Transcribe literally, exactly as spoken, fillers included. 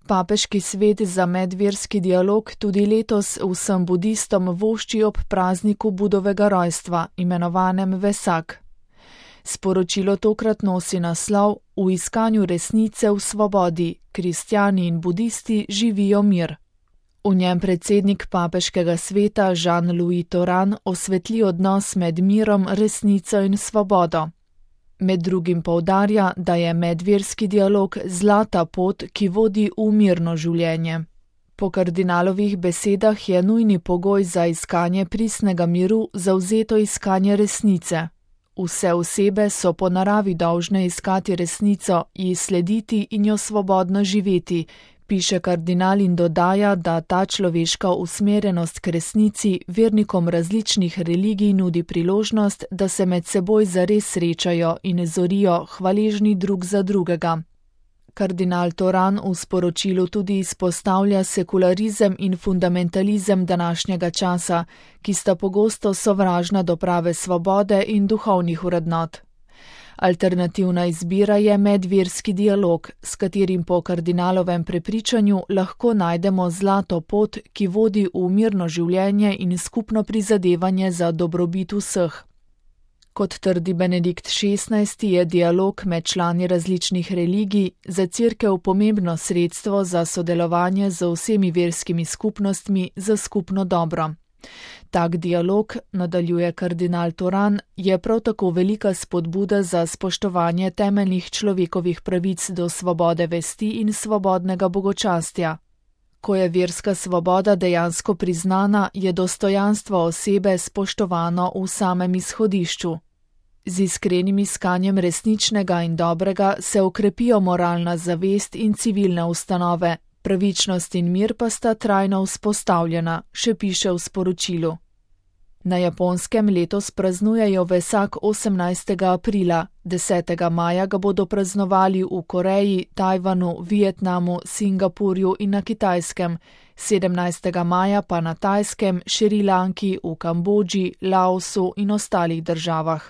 Papeški svet za medverski dialog tudi letos vsem budistom vošči ob prazniku Budovega rojstva, imenovanem Vesak. Sporočilo tokrat nosi naslov V iskanju resnice v svobodi, kristjani in budisti živijo mir. V njem predsednik papeškega sveta Jean-Louis Thoran osvetli odnos med mirom, resnico in svobodo. Med drugim poudarja, da je medverski dialog zlata pot, ki vodi v mirno življenje. Po kardinalovih besedah je nujni pogoj za iskanje pristnega miru zavzeto iskanje resnice. Vse osebe so po naravi dolžne iskati resnico, ji slediti in jo svobodno živeti, piše kardinal in dodaja, da ta človeška usmerjenost k resnici vernikom različnih religij nudi priložnost, da se med seboj zares srečajo in zorijo hvaležni drug za drugega. Kardinal Thoran v sporočilu tudi izpostavlja sekularizem in fundamentalizem današnjega časa, ki sta pogosto sovražna do prave svobode in duhovnih vrednot. Alternativna izbira je medverski dialog, s katerim po kardinalovem prepričanju lahko najdemo zlato pot, ki vodi v mirno življenje in skupno prizadevanje za dobrobit vseh. Kot trdi Benedikt šestnajsti, je dialog med člani različnih religij za cerkev pomembno sredstvo za sodelovanje z vsemi verskimi skupnostmi za skupno dobro. Tak dialog, nadaljuje kardinal Thoran, je prav tako velika spodbuda za spoštovanje temeljnih človekovih pravic do svobode vesti in svobodnega bogočastja. Ko je verska svoboda dejansko priznana, je dostojanstvo osebe spoštovano v samem izhodišču. Z iskrenim iskanjem resničnega in dobrega se okrepijo moralna zavest in civilne ustanove, pravičnost in mir pa sta trajno vzpostavljena, še piše v sporočilu. Na Japonskem letos praznujejo Vesak osemnajstega aprila, desetega maja ga bodo praznovali v Koreji, Tajvanu, Vietnamu, Singapurju in na Kitajskem, sedemnajstega maja pa na Tajskem, Šrilanki, v Kambodži, Laosu in ostalih državah.